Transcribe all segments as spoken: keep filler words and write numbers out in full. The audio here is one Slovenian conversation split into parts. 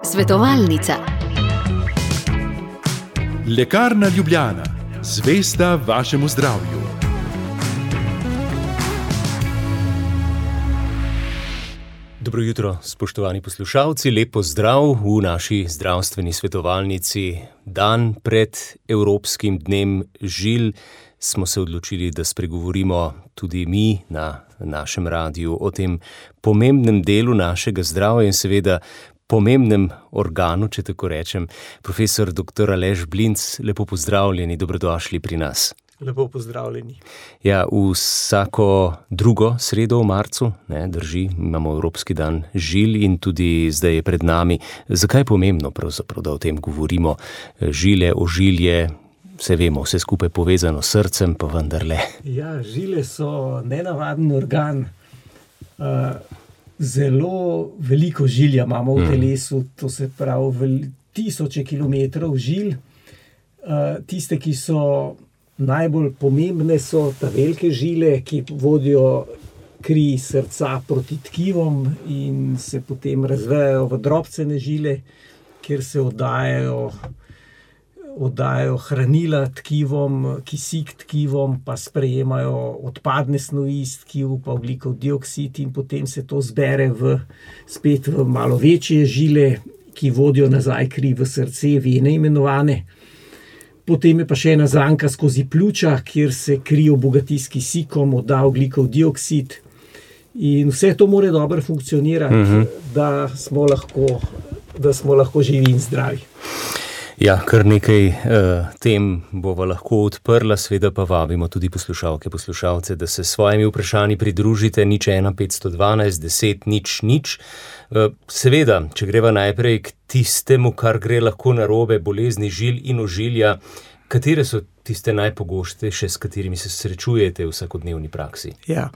Svetovalnica. Lekarna Ljubljana, zvesta vašemu zdravju. Dobro jutro, spoštovani poslušalci, lep pozdrav v naši zdravstveni svetovalnici. Dan pred Evropskim dnem žil smo se odločili, da spregovorimo tudi mi na našem radiju o tem pomembnem delu našega zdravja in seveda pomembnem organu, če tako rečem. Profesor doktor Aleš Blinc, lepo pozdravljeni, dobrodošli pri nas. Lepo pozdravljeni. Ja, vsako drugo sredo v marcu, ne, drži, imamo Evropski dan žil in tudi zdaj je pred nami. Zakaj je pomembno pravzaprav, da o tem govorimo? Žile, ožilje, vse vemo, vse skupaj povezano s srcem, pa vendarle. Ja, žile so nenavaden organ. Uh, zelo veliko žilja imamo v telesu, to se pravi vel, tisoče kilometrov žil. Uh, tiste, ki so najbolj pomembne, so ta velike žile, ki vodijo kri srca proti tkivom in se potem razvejajo v drobcene žile, kjer se oddajajo, oddajajo hranila tkivom, kisik tkivom, pa sprejemajo odpadne snovi iz tkiv, pa ogljikov dioksid in potem se to zbere v, spet v malo večje žile, ki vodijo nazaj kri v srce, vene imenovane. Potem je pa še ena zanka skozi pljuča, kjer se kri obogati s kisikom, odda ogljikov dioksid. In vse to mora dobro funkcionirati, uh-huh. da smo lahko, da smo lahko živi in zdravi. Ja, kar nekaj uh, tem bova lahko odprla, seveda pa vabimo tudi poslušalke, poslušalce, da se s svojimi vprašanji pridružite, nič ena petsto dvanajst deset nič nič. Uh, seveda, če greva najprej k tistemu, kar gre lahko narobe, bolezni žil in ožilja, katere so tiste najpogostejše, s katerimi se srečujete v vsakodnevni praksi? Ja.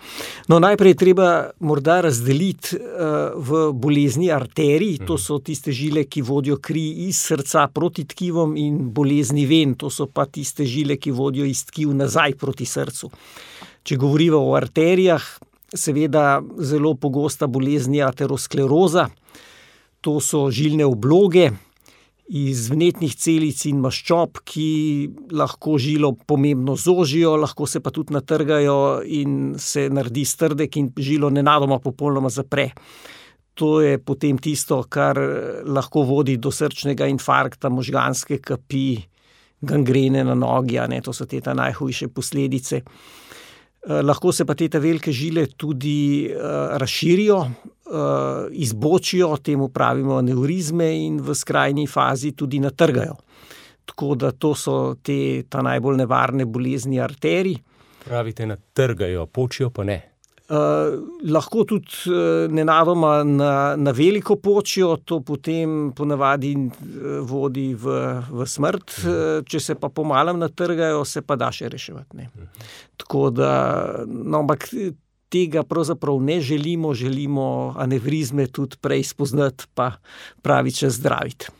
No, najprej treba morda razdeliti uh, v bolezni arterij, to so tiste žile, ki vodijo kri iz srca proti tkivom, in bolezni ven, to so pa tiste žile, ki vodijo iz tkiv nazaj proti srcu. Če govorimo o arterijah, seveda zelo pogosta bolezen je ateroskleroza, to so žilne obloge iz vnetnih celic in maščob, ki lahko žilo pomembno zožijo, lahko se pa tudi natrgajo in se naredi strdek in žilo nenadoma popolnoma zapre. To je potem tisto, kar lahko vodi do srčnega infarkta, možganske kapi, gangrene na nogi, a ne, to so te ta najhujše posledice. Eh, lahko se pa te ta velike žile tudi eh, razširijo, eh, izbočijo, temu pravimo aneurizme, in v skrajni fazi tudi natrgajo. Tako da to so te ta najbolj nevarne bolezni arterij. Pravite, natrgajo, počijo pa ne. Uh, lahko tudi uh, nenadoma na, na veliko počijo, to potem ponavadi uh, vodi v, v smrt, uh, če se pa pomalem natrgajo, se pa da še reševati. Ne. Tako da, no, ampak tega pravzaprav ne želimo, želimo anevrizme tudi prej spoznati, pa pravi čas zdraviti.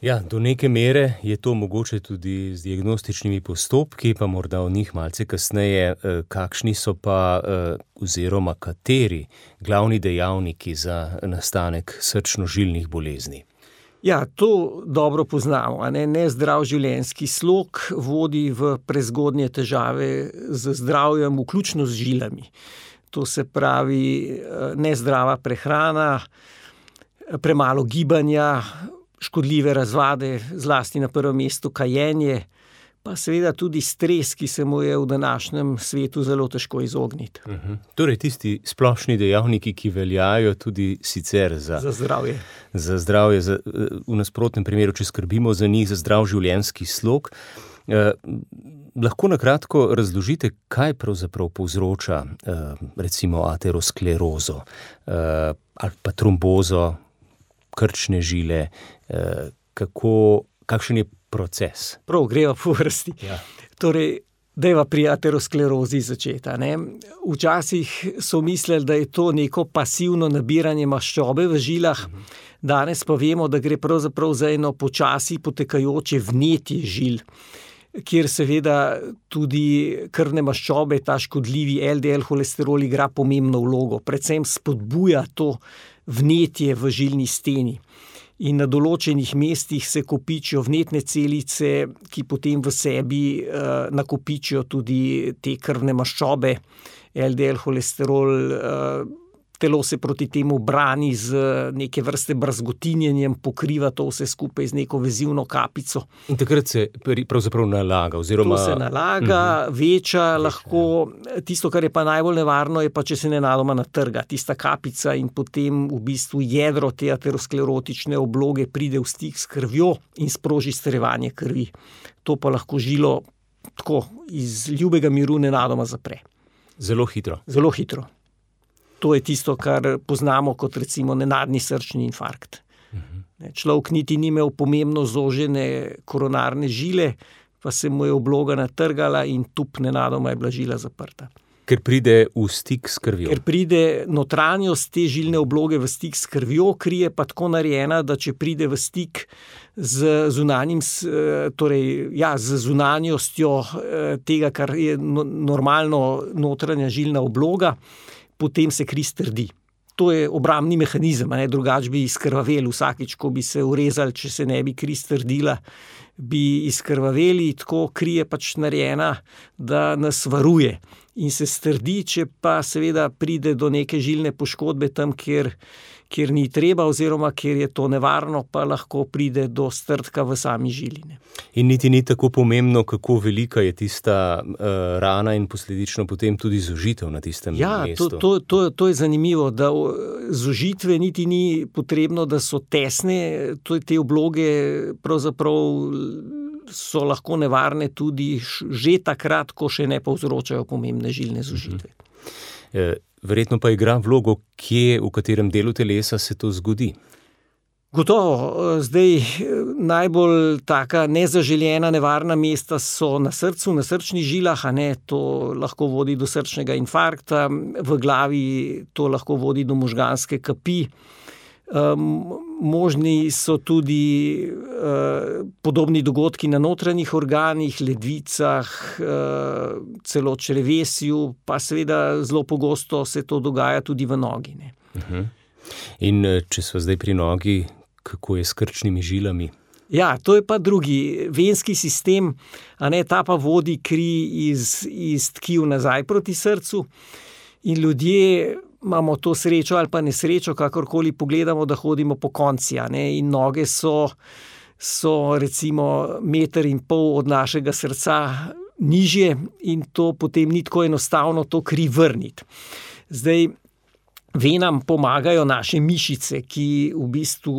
Ja, do neke mere je to mogoče tudi z diagnostičnimi postopki, pa morda o njih malce kasneje. Kakšni so pa oziroma kateri glavni dejavniki za nastanek srčno-žilnih bolezni? Ja, to dobro poznamo. A ne? Nezdrav življenjski slog vodi v prezgodnje težave z zdravjem, vključno z žilami. To se pravi nezdrava prehrana, premalo gibanja, škodljive razvade, zlasti na prvem mestu kajenje, pa seveda tudi stres, ki se mu je v današnjem svetu zelo težko izogniti. Uh-huh. Torej tisti splošni dejavniki, ki veljajo tudi sicer za, za zdravje. Za zdravje, za, v nasprotnem primeru, če skrbimo za njih, za zdrav življenjski slog. Eh, lahko na kratko razložite, kaj pravzaprav povzroča eh, recimo aterosklerozo eh, ali pa trombozo, krčne žile, eh, kako, kakšen je proces? Prav, greva po vrsti. Ja. Torej, dajva pri aterosklerozi začeti. Ne? Včasih so mislili, da je to neko pasivno nabiranje maščobe v žilah, uh-huh. Danes pa vemo, da gre pravzaprav za eno počasi potekajoče vnetje žil, kjer seveda tudi krvne maščobe, ta škodljivi el de el holesterol igra pomembno vlogo. Predvsem spodbuja to vnetje v žilni steni. In na določenih mestih se kopičijo vnetne celice, ki potem v sebi uh, nakopičijo tudi te krvne maščobe, el de el holesterol, uh, telo se proti temu brani z neke vrste brazgotinjenjem, pokriva to vse skupaj z neko vezivno kapico. In takrat se pravzaprav nalaga, oziroma... To se nalaga, uh-huh. veča, veča lahko, tisto, kar je pa najbolj nevarno, je pa, če se nenadoma natrga tista kapica in potem v bistvu jedro te aterosklerotične obloge pride v stik s krvjo in sproži strjevanje krvi. To pa lahko žilo tako iz ljubega miru nenadoma zapre. Zelo hitro. Zelo hitro. To je tisto, kar poznamo kot recimo nenadni srčni infarkt. Uh-huh. Človek niti ni imel pomembno zožene koronarne žile, pa se mu je obloga natrgala in tup nenadoma je bila žila zaprta. Ker pride v stik s krvjo. Ker pride notranjost te žilne obloge v stik s krvjo, kri je pa tako narejena, da če pride v stik z zunanjim, torej, ja, z zunanjostjo tega, kar je normalno notranja žilna obloga, potem se kri strdi. To je obrambni mehanizem, ne? Drugač bi izkrvavel vsakič, ko bi se urezali, če se ne bi kri strdila, bi izkrvaveli, tako kri je pač narejena, da nas varuje in se strdi, če pa seveda pride do neke žilne poškodbe tam, kjer, kjer ni treba oziroma kjer je to nevarno, pa lahko pride do strdka v sami žiline. In niti ni tako pomembno, kako velika je tista uh, rana in posledično potem tudi zožitev na tistem ja, mestu. Ja, to, to, to, to je zanimivo, da zožitve niti ni potrebno, da so tesne, to te obloge pravzaprav so lahko nevarne tudi že takrat, ko še ne povzročajo pomembne žilne zožitve. Uh-huh. Verjetno pa igra vlogo, kje, v katerem delu telesa se to zgodi. Gotovo, zdaj najbolj taka nezaželjena nevarna mesta so na srcu, na srčnih žilah, a ne, to lahko vodi do srčnega infarkta, v glavi to lahko vodi do možganske kapi. Um, možni so tudi uh, podobni dogodki na notranjih organih, ledvicah, uh, celo črevesju, pa seveda zelo pogosto se to dogaja tudi v nogi. Ne. Uh-huh. In če smo zdaj pri nogi, kako je s krčnimi žilami? Ja, to je pa drugi venski sistem, a ne, ta pa vodi kri iz, iz tkiv nazaj proti srcu in ljudje imamo to srečo ali pa nesrečo, kakorkoli pogledamo, da hodimo po konci, a ne, in noge so, so recimo meter in pol od našega srca nižje in to potem ni tako enostavno to kri vrniti. Zdaj, venam pomagajo naše mišice, ki v bistvu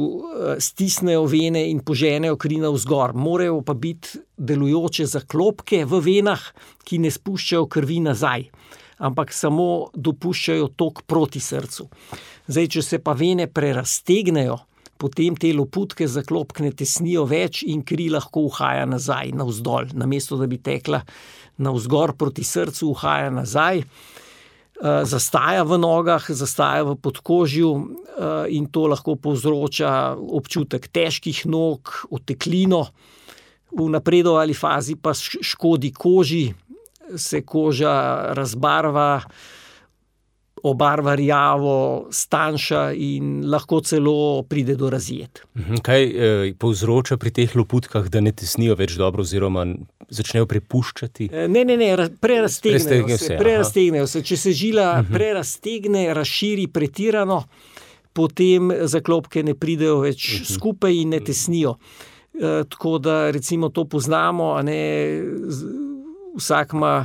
stisnejo vene in poženejo kri navzgor. Morajo pa biti delujoče zaklopke v venah, ki ne spuščajo krvi nazaj, ampak samo dopuščajo tok proti srcu. Zdaj, če se pa vene preraztegnejo, potem te loputke zaklopk ne tesnijo več in kri lahko uhaja nazaj, navzdol. Namesto, da bi tekla navzgor proti srcu, uhaja nazaj, zastaja v nogah, zastaja v podkožju in to lahko povzroča občutek težkih nog, oteklino. V napredovali fazi pa škodi koži, se koža razbarva, obarva rjavo, stanjša in lahko celo pride do razjed. Kaj eh, povzroča pri teh loputkah, da ne tesnijo več dobro oziroma začnejo prepuščati? Ne, ne, ne, preraztegnejo se. Preraztegnejo se. Če se žila uh-huh. prerastegne, razširi pretirano, potem zaklopke ne pridejo več uh-huh. skupaj in ne tesnijo. E, tako da recimo to poznamo, a ne, vsak ima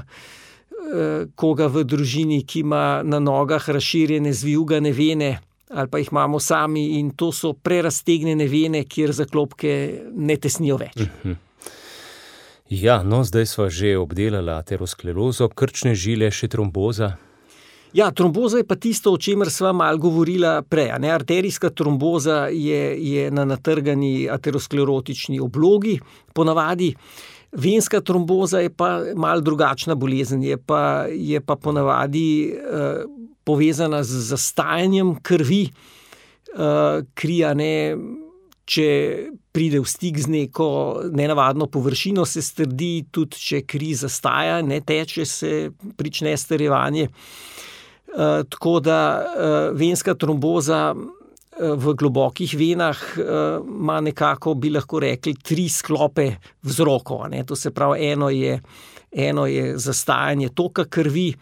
koga v družini, ki ima na nogah razširjene zvijugane vene ali pa jih imamo sami in to so prerastegnjene vene, kjer zaklopke ne tesnijo več. Uh-huh. Ja, no, zdaj sva že obdelala aterosklerozo, krčne žile, še tromboza. Ja, tromboza je pa tisto, o čemer sva malo govorila prej. Ne? Arterijska tromboza je, je na natrgani aterosklerotični oblogi ponavadi. Venska tromboza je pa malo drugačna bolezen, je pa, je pa ponavadi eh, povezana z zastajanjem krvi. Eh, kri, a ne, če pride v stik z neko nenavadno površino, se strdi, tudi če kri zastaja, ne teče, se prične strjevanje. Eh, tako da eh, venska tromboza v globokih venah ima nekako, bi lahko rekli, tri sklope vzrokov. Ne? To se pravi, eno je, eno je zastajanje toka krvi,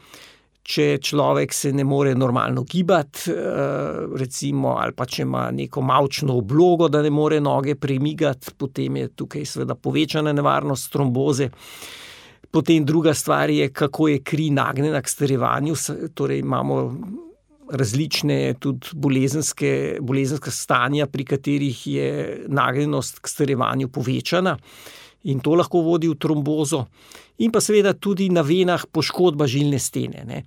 če človek se ne more normalno gibati, recimo, ali pa če ima neko mavčno oblogo, da ne more noge premigati, potem je tukaj seveda povečana nevarnost tromboze. Potem druga stvar je, kako je kri nagnjena k starjevanju, torej imamo različne tudi bolezenske, bolezenska stanja, pri katerih je nagnjenost k starjevanju povečana in to lahko vodi v trombozo. In pa seveda tudi na venah poškodba žilne stene. Ne.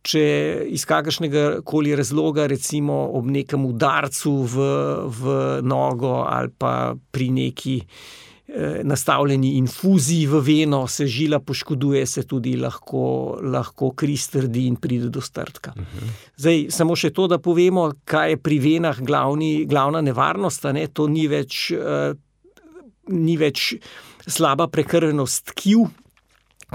Če iz kakršnega koli razloga, recimo ob nekem udarcu v, v nogo ali pa pri neki eh, nastavljeni infuziji v veno se žila poškoduje, se tudi lahko, lahko kri strdi in pride do strdka. Uh-huh. Zdaj, samo še to, da povemo, kaj je pri venah glavni, glavna nevarnost, ne, to ni več, eh, ni več slaba prekrvenost tkiv,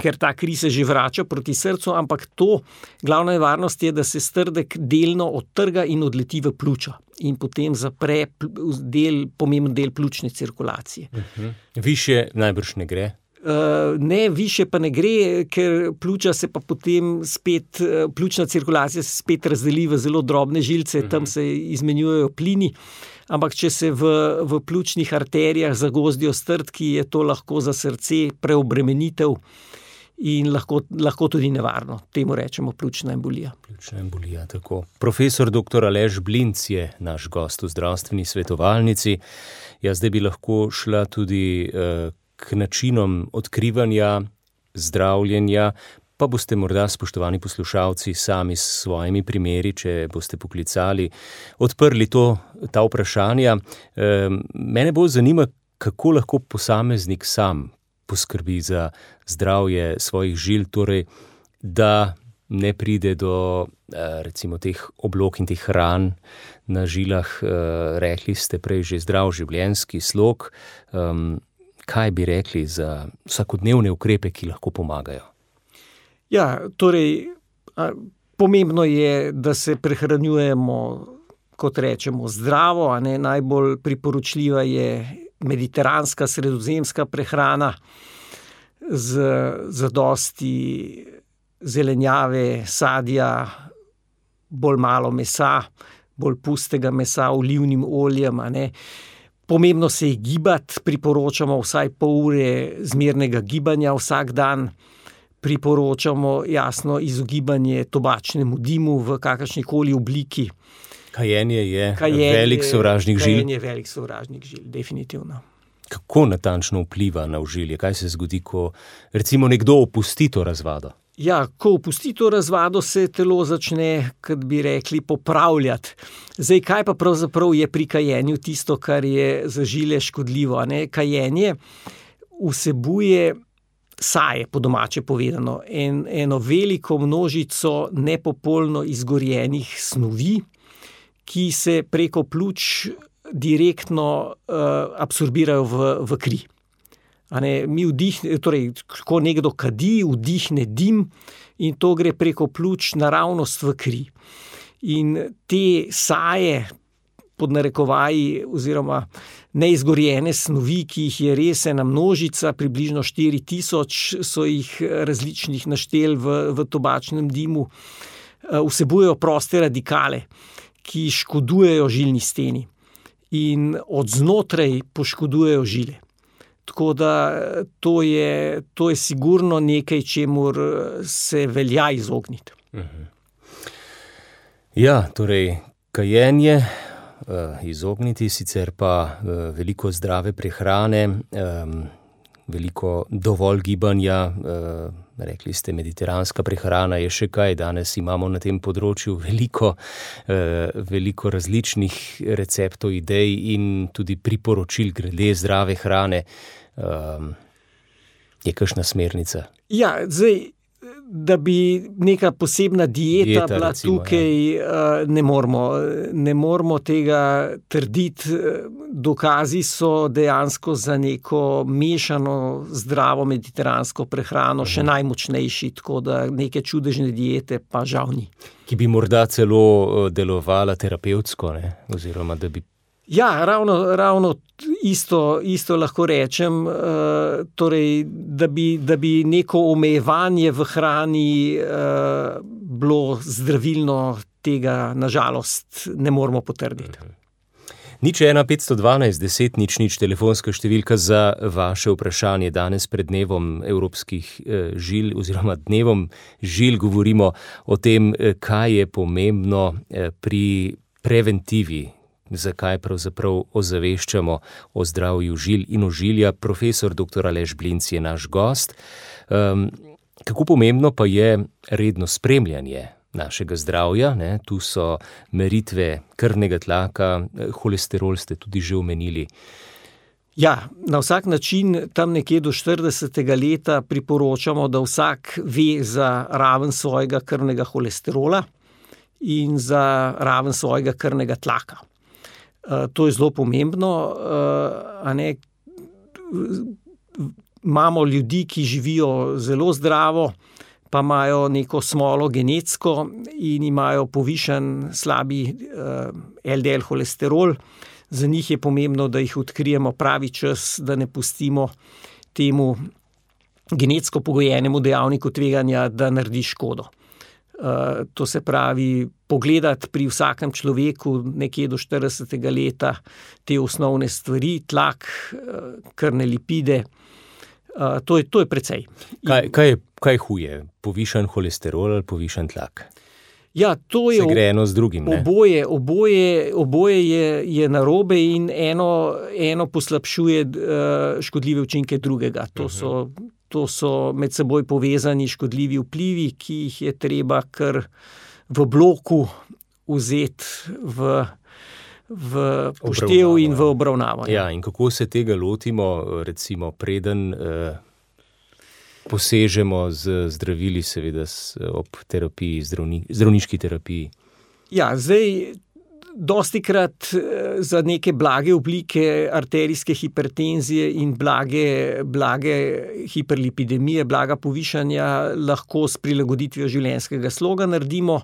ker ta kri se že vrača proti srcu, ampak to glavna nevarnost je, da se strdek delno odtrga in odleti v pljuča in potem zapre del, pomemben del pljučne cirkulacije. Uh-huh. Višje najbrž ne gre? Uh, ne, više pa ne gre, ker pljuča se pa potem spet, pljučna cirkulacija se spet razdeli v zelo drobne žilce, uh-huh. Tam se izmenjujejo plini, ampak če se v, v pljučnih arterijah zagozdijo strdki, je to lahko za srce preobremenitev in lahko, lahko tudi nevarno. Temu rečemo pljučna embolija. Pljučna embolija, tako. Profesor doktor Aleš Blinc je naš gost v zdravstveni svetovalnici. Ja, zdaj bi lahko šla tudi uh, k načinom odkrivanja, zdravljenja, pa boste morda, spoštovani poslušalci, sami s svojimi primeri, če boste poklicali, odprli to, ta vprašanja. E, mene bolj zanima, kako lahko posameznik sam poskrbi za zdravje svojih žil, torej, da ne pride do recimo teh oblog in teh ran na žilah. Rekli ste prej že zdrav življenjski slog. Kaj bi rekli za vsakodnevne ukrepe, ki lahko pomagajo? Ja, torej, pomembno je, da se prehranjujemo, kot rečemo, zdravo, a ne, najbolj priporočljiva je mediteranska, sredozemska prehrana z zadosti zelenjave, sadja, bolj malo mesa, bolj pustega mesa, olivnim oljem, a ne. Pomembno se je gibati, priporočamo vsaj pol ure zmernega gibanja vsak dan. Priporočamo jasno izogibanje tobačnemu dimu v kakršnikoli obliki. Kajenje je Kajenje, velik sovražnik žil. Kajenje je velik sovražnik žil, definitivno. Kako natančno vpliva na ožilje? Kaj se zgodi, ko recimo nekdo opusti to razvado? Ja, ko opusti to razvado, se telo začne, kot bi rekli, popravljati. Zdaj, kaj pa pravzaprav je pri kajenju tisto, kar je za žile škodljivo? Ne? Kajenje vsebuje saje, po domače povedano, en, eno veliko množico nepopolno izgorjenih snovi, ki se preko pljuč direktno uh, absorbirajo v, v kri. A ne, mi vdihne, torej, ko nekdo kadi, vdihne dim in to gre preko pljuč naravnost v kri. In te saje, pod narekovaji, oziroma neizgorjene snovi, ki jih je res ena množica, približno štiri tisoč so jih različnih naštel v, v tobačnem dimu, vsebujejo proste radikale, ki škodujejo žilni steni in od znotraj poškodujejo žile. Tako da to je, to je sigurno nekaj, čemur se velja izogniti. Mhm. Ja, torej, kajenje, izogniti, sicer pa veliko zdrave prehrane, veliko dovolj gibanja, rekli ste, mediteranska prehrana je še kaj, danes imamo na tem področju veliko, veliko različnih receptov, idej in tudi priporočil glede zdrave hrane. Je kakšna smernica? Ja, zdaj, da bi neka posebna dieta, dieta bila recimo, tukaj, ja. ne moramo, ne moramo tega trditi. Dokazi so dejansko za neko mešano zdravo mediteransko prehrano še najmočnejši, tako da neke čudežne diete pa žal ni. Ki bi morda celo delovala terapevtsko, ne? Oziroma da bi. Ja, ravno, ravno isto, isto lahko rečem, uh, torej, da bi, da bi neko omejevanje v hrani uh, bilo zdravilno, tega nažalost ne moramo potrditi. Nič ena petsto dvanajst deset nič nič telefonska številka za vaše vprašanje. Danes pred dnevom evropskih eh, žil oziroma dnevom žil govorimo o tem, kaj je pomembno eh, pri preventivi. Zakaj pravzaprav ozaveščamo o zdravju žil in ožilja. Profesor doktor Aleš Blinc je naš gost. Um, kako pomembno pa je redno spremljanje našega zdravja, ne? Tu so meritve krvnega tlaka, holesterol ste tudi že omenili. Ja, na vsak način tam nekje do štiridesetega leta priporočamo, da vsak ve za raven svojega krvnega holesterola in za raven svojega krvnega tlaka. Uh, to je zelo pomembno. Uh, a ne, imamo ljudi, ki živijo zelo zdravo, pa imajo neko smolo genetsko in imajo povišen slabi uh, el de el holesterol. Za njih je pomembno, da jih odkrijemo pravi čas, da ne pustimo temu genetsko pogojenemu dejavniku tveganja, da naredi škodo. Uh, to se pravi, pogledati pri vsakem človeku nekje do štiridesetega leta te osnovne stvari, tlak, uh, krvne lipide, uh, to je, to je precej. Kaj, kaj, je, kaj huje? Povišan holesterol ali povišan tlak? Ja, to je. Se gre eno z drugim, ne? Oboje, oboje, oboje je, je narobe in eno, eno poslabšuje uh, škodljive učinke drugega. To uh-huh. so To so med seboj povezani škodljivi vplivi, ki jih je treba kar v bloku vzeti v, v poštev in v obravnavo. Ja, in kako se tega lotimo, recimo preden eh, posežemo z zdravili, seveda ob terapiji, zdravni, zdravniški terapiji? Ja, zdaj dostikrat za neke blage oblike arterijske hipertenzije in blage, blage hiperlipidemije, blaga povišanja lahko s prilagoditvijo življenjskega sloga naredimo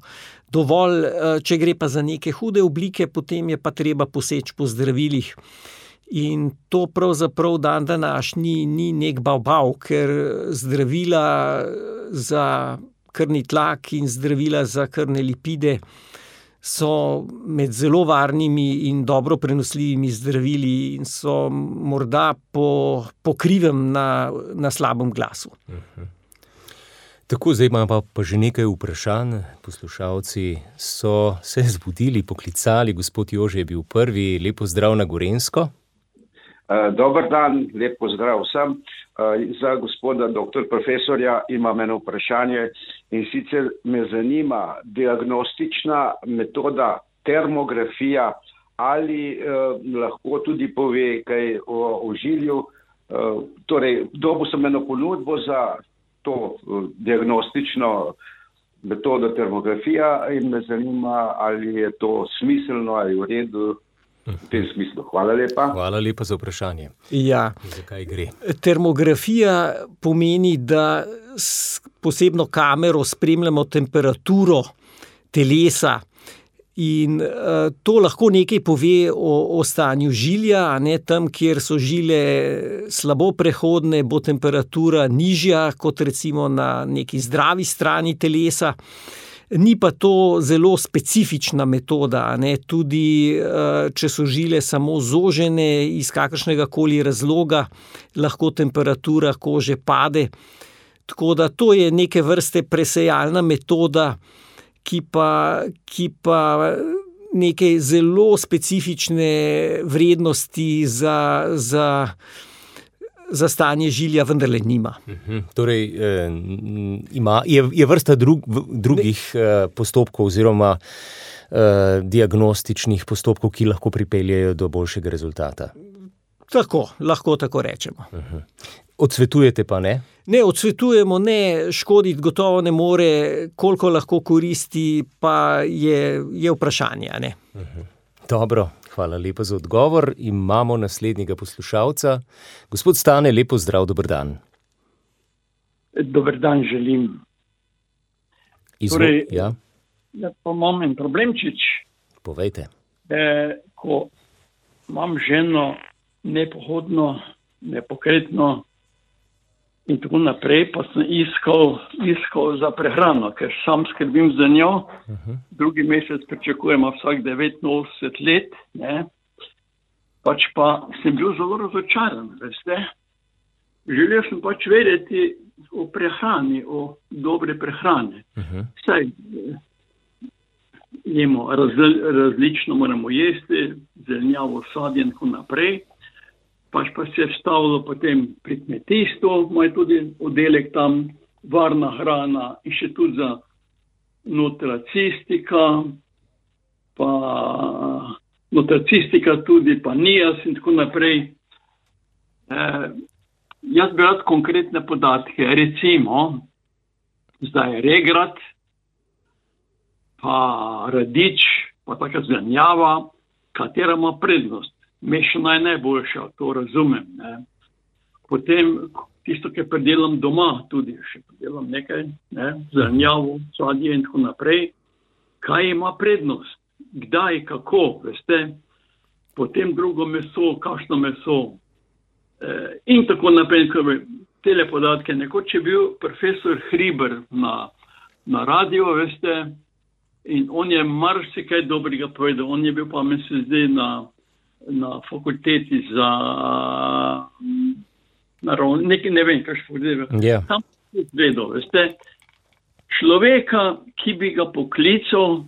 dovolj. Če gre pa za neke hude oblike, potem je pa treba poseči po zdravilih. In to pravzaprav dan današnji ni nek bav-bav, ker zdravila za krvni tlak in zdravila za krvne lipide so med zelo varnimi in dobro prenosljivimi zdravili in so morda po, po krivem na, na slabem glasu. Uh-huh. Tako, zdaj imamo pa, pa že nekaj vprašanj. Poslušalci so se zbudili, poklicali. Gospod Jože je bil prvi. Lep pozdrav na Gorenjsko. Uh, dober dan, lep pozdrav vsem. Uh, za gospoda doktor profesorja imam eno vprašanje in sicer me zanima diagnostična metoda termografija, ali uh, lahko tudi pove kaj o ožilju. Uh, torej, dobil sem eno ponudbo za to uh, diagnostično metodo termografija in me zanima, ali je to smiselno ali v redu. V tem smislu. Hvala lepa. Hvala lepa za vprašanje. Ja. Zakaj gre? Termografija pomeni, da s posebno kamero spremljamo temperaturo telesa in uh, to lahko nekaj pove o, o stanju žilja, ne, tam, kjer so žile slabo prehodne, bo temperatura nižja kot recimo na neki zdravi strani telesa. Ni pa to zelo specifična metoda, ne? Tudi če so žile samo zožene iz kakršnega koli razloga, lahko temperatura kože pade. Tako da to je neke vrste presejalna metoda, ki pa, ki pa neke zelo specifične vrednosti za, za za stanje žilja vendarle nima. Uh-huh. Torej, eh, ima, je, je vrsta drug, drugih eh, postopkov oziroma eh, diagnostičnih postopkov, ki lahko pripeljejo do boljšega rezultata. Tako, lahko tako rečemo. Uh-huh. Odsvetujete pa ne? Ne, odsvetujemo ne, škoditi gotovo ne more, koliko lahko koristi, pa je, je vprašanje, ne. Uh-huh. Dobro, hvala lepa za odgovor. Imamo naslednjega poslušalca. Gospod Stane, lepo zdrav, dober dan. Dober dan želim. Izvol, torej, ja. Ja, pa imam en problemčič. Povejte. Eh, ko imam ženo nepohodno, nepokretno in tako naprej, pa sem iskal, iskal za prehrano, ker sam skrbim za njo. Uh-huh. Drugi mesec pričakujemo vsak devetinosemdeset let, ne. Pač pa sem bil zelo razočaran, veste. Želel sem pač vedeti o prehrani, o dobre prehrane. Uh-huh. Saj jemo raz, različno moramo jesti, zelenjavo, sadje in tako naprej. Pač pa se je vstavilo potem pri kmetijstvu, imajo tudi oddelek tam, varna hrana in še tudi za nutracistika, pa nutracistika tudi, pa nijas in tako naprej. Eh, jaz bi rad konkretne podatke, recimo, zdaj regrat, pa radič, pa taka zelenjava, katera ima prednost. Mešana je najboljša, to razumem. Ne. Potem tisto, ki predelam doma, tudi še predelam nekaj, ne, zelenjavo, sadje in tako naprej. Kaj ima prednost? Kdaj, kako, veste? Potem drugo meso, kakšno meso. E, in tako naprej. Tele podatke. Nekoč je bil profesor Hriber na, na radio, veste, in on je marsikaj dobrega povedal. On je bil pa, mi se zdi, na na fakulteti za naravno, nekaj ne vem, kaj še povedal. Yeah. Tam je vedel, veste, človeka, ki bi ga poklical,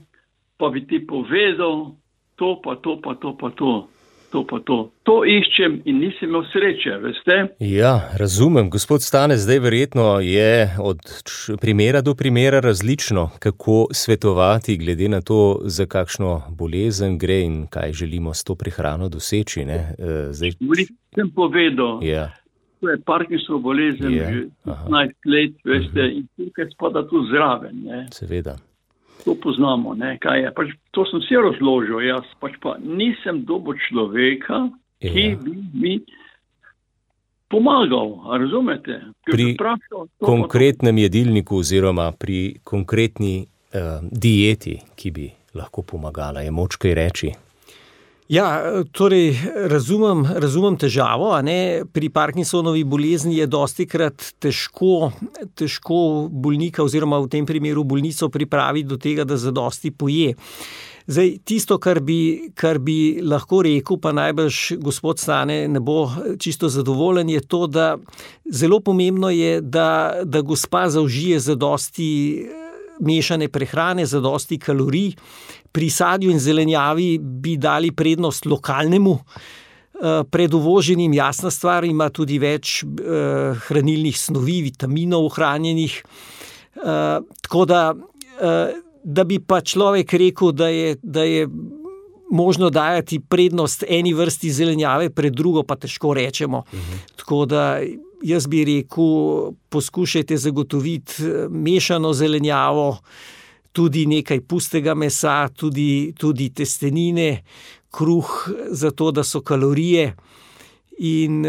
pa bi ti povedal, to pa to pa to pa to, to pa to. To iščem in nisem imel sreče, veste. Ja, razumem. Gospod Stane, zdaj verjetno je od primera do primera različno, kako svetovati glede na to, za kakšno bolezen gre in kaj želimo s to prehrano doseči. Ne? Zdaj... Sem povedal, ja. To je Parkinsonova bolezen, ja. Že petnajst let, veste, uh-huh. In tukaj spada tu zraven. Ne? Seveda. To poznamo, ne, kaj je. Pač, to sem si razložil, jaz pač pa nisem dobil človeka, ja. Ki bi mi pomagal, razumete? Pri prašal, konkretnem to... jedilniku oziroma pri konkretni uh, dieti, ki bi lahko pomagala, je moč kaj reči? Ja, torej razumem, razumem težavo, a ne, pri Parkinsonovi bolezni je dostikrat težko, težko bolnika oziroma v tem primeru bolnico pripraviti do tega, da zadosti poje. Zdaj, tisto, kar bi, kar bi lahko rekel, pa najbrž gospod Stane ne bo čisto zadovoljen, je to, da zelo pomembno je, da, da gospa zaužije zadosti mešane prehrane, zadosti kalorij. Pri sadju in zelenjavi bi dali prednost lokalnemu, pred uvoženim, jasna stvar, ima tudi več hranilnih snovi, vitaminov ohranjenih. Tako da, da bi pa človek rekel, da je, da je možno dajati prednost eni vrsti zelenjave pred drugo, pa težko rečemo. Mhm. Tako da jaz bi rekel, poskušajte zagotoviti mešano zelenjavo, tudi nekaj pustega mesa, tudi, tudi testenine, kruh, zato da so kalorije. In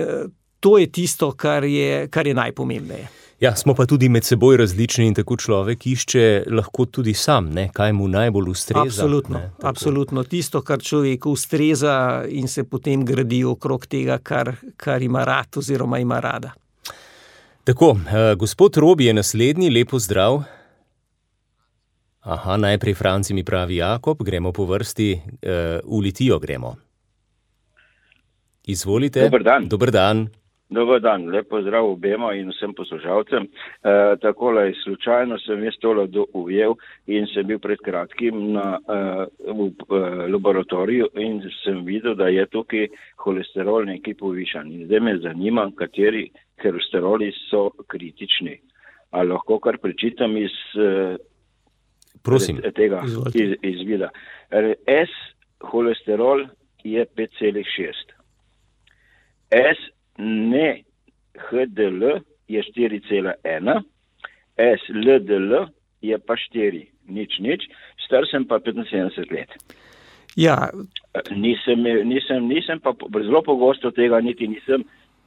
to je tisto, kar je, kar je najpomembneje. Ja, smo pa tudi med seboj različni in tako človek išče lahko tudi sam, ne, kaj mu najbolj ustreza. Absolutno, ne, absolutno. Tisto, kar človeku ustreza in se potem gradi okrog tega, kar, kar ima rad oziroma ima rada. Tako, uh, gospod Robi je naslednji, lepo zdrav. Aha, najprej Franci mi pravi Jakob, gremo po vrsti, uh, v Litijo gremo. Izvolite. Dober dan. Dober dan. Dobar dan, lepo zdrav obema in vsem poslušalcem. E, takole, slučajno sem jaz tole ujel in sem bil pred kratkim na, e, v e, laboratoriju in sem videl, da je tukaj holesterol nekaj povišan. In zdaj me zanima, kateri holesteroli so kritični. A lahko kar prečitam iz Prosim. tega iz, izvida. S holesterol je pet celih šest. S ne H D L je štiri cela ena, S L D L je pa štiri, nič, nič, star sem pa petinsedemdeset let. Ja. Nisem, nisem, nisem pa zelo pogosto tega niti nisem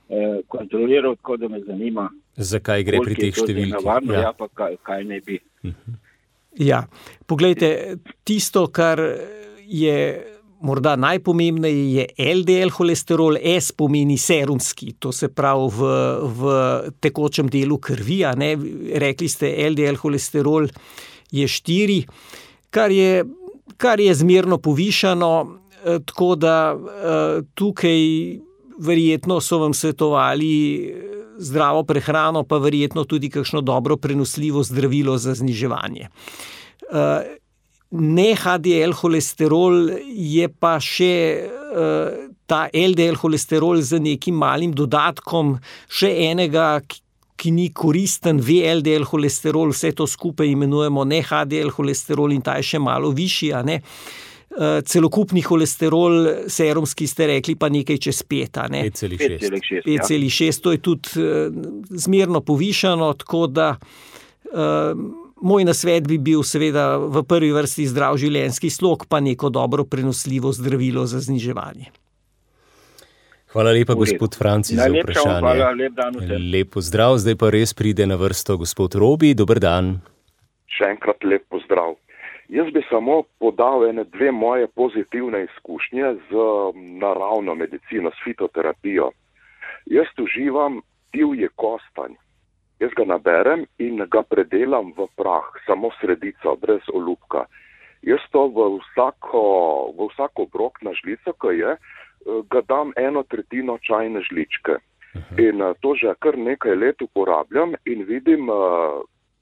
eh, kontroliral, tako da me zanima. Zakaj gre pri teh številkah? Navarno, ja. ja, pa kaj, kaj ne bi. Uh-huh. Ja, poglejte, tisto, kar je morda najpomembneje, je L D L holesterol, S pomeni serumski, to se pravi v, v tekočem delu krvi, a ne, rekli ste L D L holesterol je štiri, kar je, kar je zmerno povišano, tako da tukaj verjetno so vam svetovali zdravo prehrano, pa verjetno tudi kakšno dobro prenosljivo zdravilo za zniževanje. Ne H D L holesterol je pa še ta L D L holesterol z nekim malim dodatkom, še enega, ki ni koristen, V L D L holesterol, vse to skupaj imenujemo ne H D L holesterol in ta je še malo višji, a ne. Celokupni holesterol, serumski ste rekli, pa nekaj čez pet, a ne? pet celih šest. pet celih šest, to je tudi zmerno povišano, tako da uh, moj nasvet bi bil seveda v prvi vrsti zdrav življenjski slog, pa neko dobro prenosljivo zdravilo za zniževanje. Hvala lepa, gospod Franci, za vprašanje. Hvala, lep dan vsem. Lep pozdrav, zdaj pa res pride na vrsto gospod Robi, dober dan. Še enkrat lep pozdrav. Jaz bi samo podal ene dve moje pozitivne izkušnje z naravno medicino, s fitoterapijo. Jaz uživam divji kostanj. Jaz ga naberem in ga predelam v prah, samo sredico, brez olupka. Jaz to v vsako, v vsako obrok na žlico, ko je, ga dam eno tretjino čajne žličke. In to že kar nekaj let uporabljam in vidim,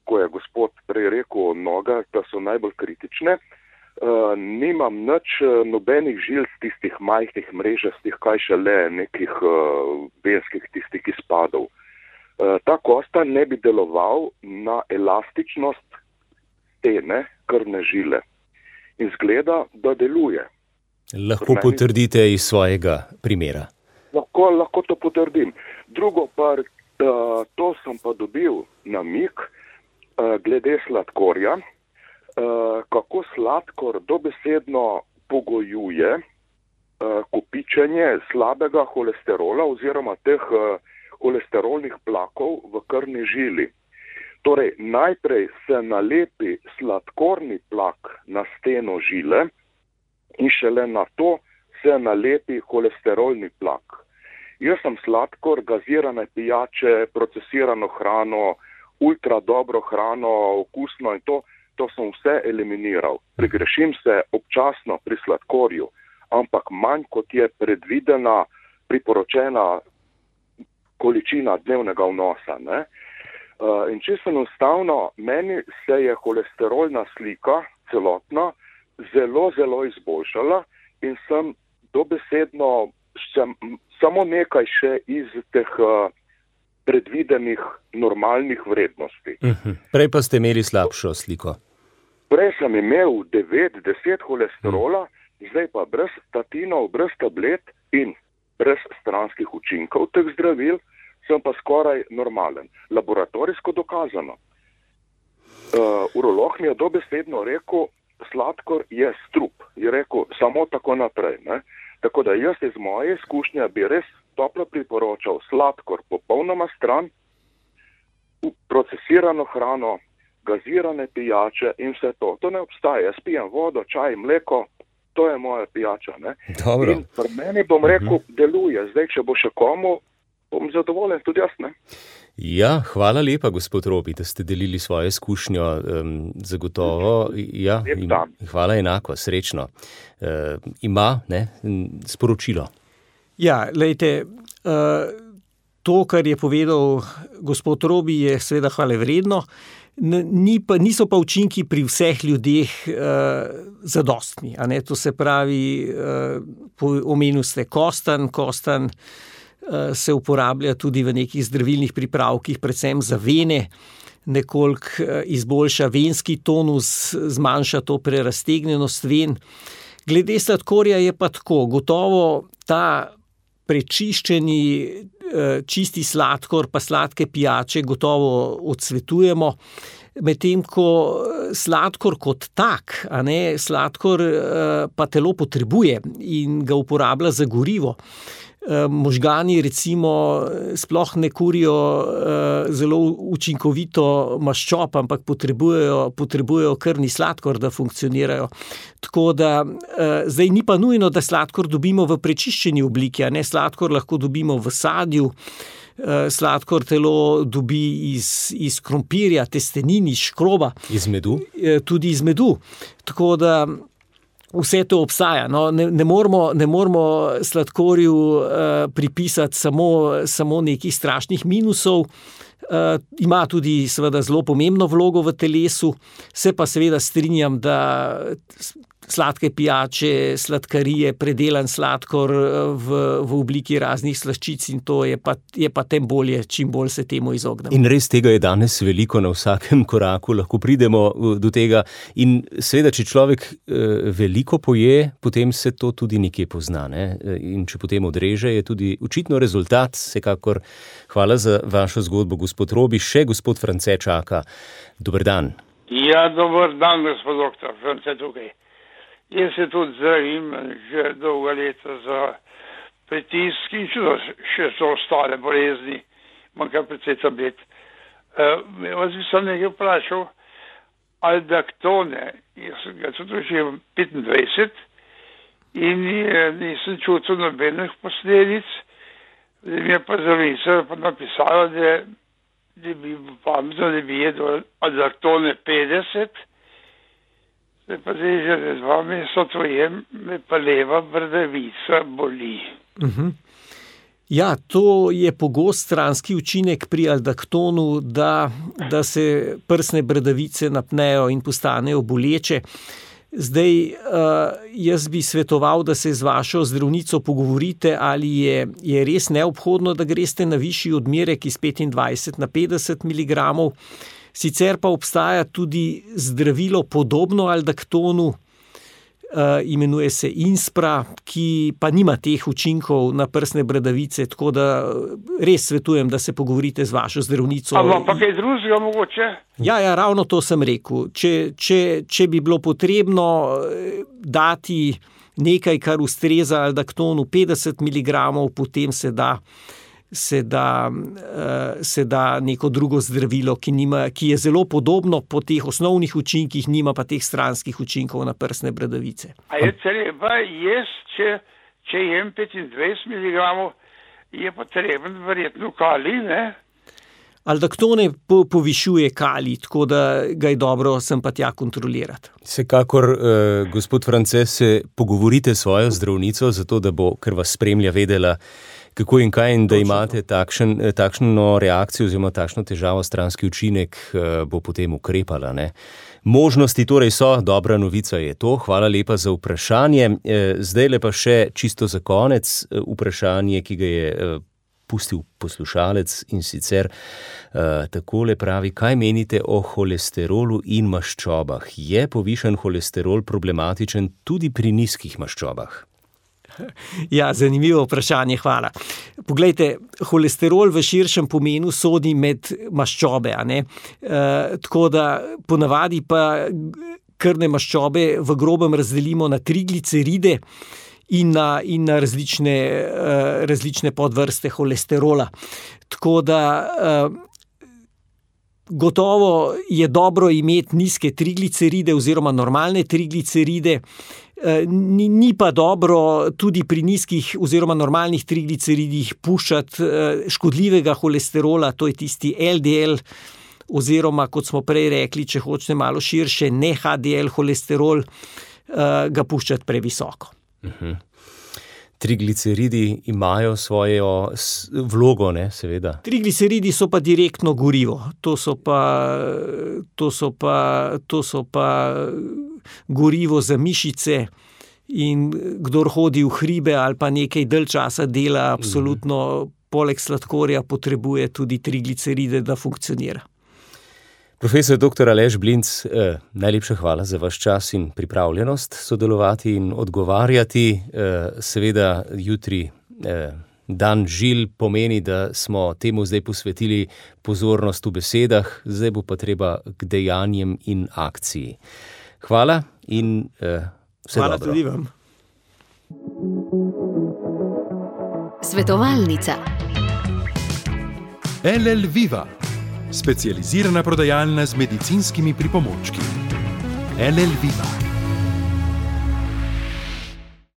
ko je gospod prej rekel noga, da so najbolj kritične, uh, nimam nič nobenih žil z tistih majhnih mrežastih, kaj šele nekih uh, venskih tistih izpadov. Uh, ta kosta ne bi deloval na elastičnost stene krvne žile. In zgleda, da deluje. Lahko meni... potrdite iz svojega primera. Lahko, lahko to potrdim. Drugo pa, uh, to sem pa dobil namig, glede sladkorja, kako sladkor dobesedno pogojuje kopičenje slabega holesterola oziroma teh holesterolnih plakov v krvni žili. Torej, najprej se nalepi sladkorni plak na steno žile in šele na to se nalepi holesterolni plak. Jaz sem sladkor, gazirane pijače, procesirano hrano, ultra dobro hrano, okusno in to, to sem vse eliminiral. Pregrešim se občasno pri sladkorju, ampak manj kot je predvidena, priporočena količina dnevnega vnosa. Ne? Uh, in čisto enostavno, meni se je holesterolna slika celotna zelo, zelo izboljšala in sem dobesedno sem, samo nekaj še iz teh uh, predvidenih normalnih vrednosti. Uh-huh. Prej pa ste imeli slabšo sliko. Prej sem imel devet, deset holesterola, uh-huh. Zdaj pa brez statinov, brez tablet in brez stranskih učinkov teh zdravil, sem pa skoraj normalen. Laboratorijsko dokazano. Uh, urolog mi je dobesedno rekel, sladkor je strup. Je rekel, samo tako naprej. Ne? Tako da jaz iz moje izkušnje bi res toplo priporočal sladkor popolnoma stran, procesirano hrano, gazirane pijače in vse to. To ne obstaja. Jaz pijem vodo, čaj, mleko, to je moja pijača. Ne? Dobro. In pri meni bom rekel, uh-huh. deluje. Zdaj, če bo še komu, bom zadovoljen tudi jaz. Ne? Ja, hvala lepa, gospod Robi, da ste delili svojo izkušnjo. Um, zagotovo, ja, im, hvala enako, srečno. Uh, ima ne, sporočilo. Ja, lejte, to, kar je povedal gospod Robi, je seveda hvale vredno. Ni pa, niso pa učinki pri vseh ljudeh zadostni. A ne? To se pravi, omenil ste kostan, kostan se uporablja tudi v nekih zdravilnih pripravkih, predvsem za vene, nekoliko izboljša venski tonus, zmanjša to preraztegnjenost ven. Glede sladkorja je pa tako, gotovo ta prečiščeni čisti sladkor pa sladke pijače gotovo odsvetujemo. Medtem ko sladkor kot tak, a ne, sladkor pa telo potrebuje in ga uporablja za gorivo. Možgani recimo sploh ne kurijo zelo učinkovito maščob, ampak potrebujejo, potrebujejo krvni sladkor, da funkcionirajo. Tako da zdaj ni pa nujno, da sladkor dobimo v prečiščeni obliki, a ne, sladkor lahko dobimo v sadju, sladkor telo dobi iz, iz krompirja, testenin, iz škroba. Iz medu? Tudi iz medu. Tako da vse to obstaja. No, ne, ne moramo, ne moramo sladkorju uh, pripisati samo, samo nekih strašnih minusov. Uh, ima tudi seveda zelo pomembno vlogo v telesu. Se pa seveda strinjam, da sladke pijače, sladkarije, predelan sladkor v, v obliki raznih slaščic in to je pa, je pa tem bolje, čim bolj se temu izognemo. In res tega je danes veliko, na vsakem koraku lahko pridemo do tega in seveda, če človek veliko poje, potem se to tudi nekje pozna, ne? In če potem odreže, je tudi očitno rezultat. Vsekakor hvala za vašo zgodbo, gospod Robi. Še gospod France čaka. Dober dan. Ja, dober dan, gospod doktor, France tukaj. Jaz se tudi zdravim že dolga leta za pritisk in še so ostale bolezni, manjka precej tablet. Uh, vas bi sem nekaj vprašal, aldaktone, jaz sem ga tudi že petindvajset in nisem čutil nobenih posledic, mi je pa zdravnica pa napisala, da, da bi pametno, da bi jedel aldaktone petdeset, pa zdaj že dva meseca to jem, me pa leva bradavica boli. Uh-huh. Ja, to je pogost stranski učinek pri aldaktonu, da, da se prsne bradavice napnejo in postanejo boleče. Zdaj, jaz bi svetoval, da se z vašo zdravnico pogovorite, ali je, je res neobhodno, da greste na višji odmerek iz petindvajset na petdeset miligramov. Sicer pa obstaja tudi zdravilo podobno aldaktonu, imenuje se Inspra, ki pa nima teh učinkov na prsne bradavice, tako da res svetujem, da se pogovorite z vašo zdravnico. Ampak pa kaj drugega mogoče? Ja, ja, ravno to sem rekel. Če, če, če bi bilo potrebno dati nekaj, kar ustreza aldaktonu petdeset miligramov, potem se da Se da, se da neko drugo zdravilo, ki, nima, ki je zelo podobno po teh osnovnih učinkih, nima pa teh stranskih učinkov na prsne bradavice. A je treba jaz, če, če jem petindvajset miligramov, je potreben verjetno kalij, ne? Aldaktone po, povišuje kalij, tako da ga je dobro sem pa tja kontrolirati. Vsekakor, eh, gospod France, se pogovorite s svojo zdravnico, zato da bo, ker vas spremlja, vedela, kako in kaj, in da imate takšen, takšno reakcijo oziroma takšno težavo, stranski učinek, bo potem ukrepala, ne? Možnosti torej so, dobra novica je to. Hvala lepa za vprašanje. Zdaj lepa še čisto za konec vprašanje, ki ga je pustil poslušalec, in sicer takole pravi: kaj menite o holesterolu in maščobah? Je povišan holesterol problematičen tudi pri nizkih maščobah? Ja, zanimivo vprašanje, hvala. Poglejte, holesterol v širšem pomenu sodi med maščobe, a ne? E, tako da ponavadi pa krvne maščobe v grobem razdelimo na trigliceride in na, in na različne, različne podvrste holesterola. Tako da gotovo je dobro imeti nizke trigliceride oziroma normalne trigliceride. Ni, ni pa dobro tudi pri nizkih oziroma normalnih trigliceridih puščati škodljivega holesterola, to je tisti L D L, oziroma, kot smo prej rekli, če hočete malo širše, ne H D L holesterol, ga puščati previsoko. Uh-huh. Trigliceridi imajo svojo vlogo, ne, seveda. Trigliceridi so pa direktno gorivo. To so pa, to so pa, to so pa gorivo za mišice, in kdor hodi v hribe ali pa nekaj dalj časa dela, absolutno poleg sladkorja potrebuje tudi trigliceride, da funkcionira. Profesor doktor Aleš Blinc, eh, najlepša hvala za vaš čas in pripravljenost sodelovati in odgovarjati. Eh, seveda jutri eh, dan žil pomeni, da smo temu zdaj posvetili pozornost v besedah, zdaj bo pa treba k dejanjem in akciji. Hvala in eh, vse Hvala dobro. tudi vam. Svetovalnica. L L Viva, specializirana prodajalna z medicinskimi pripomočki. L L Viva.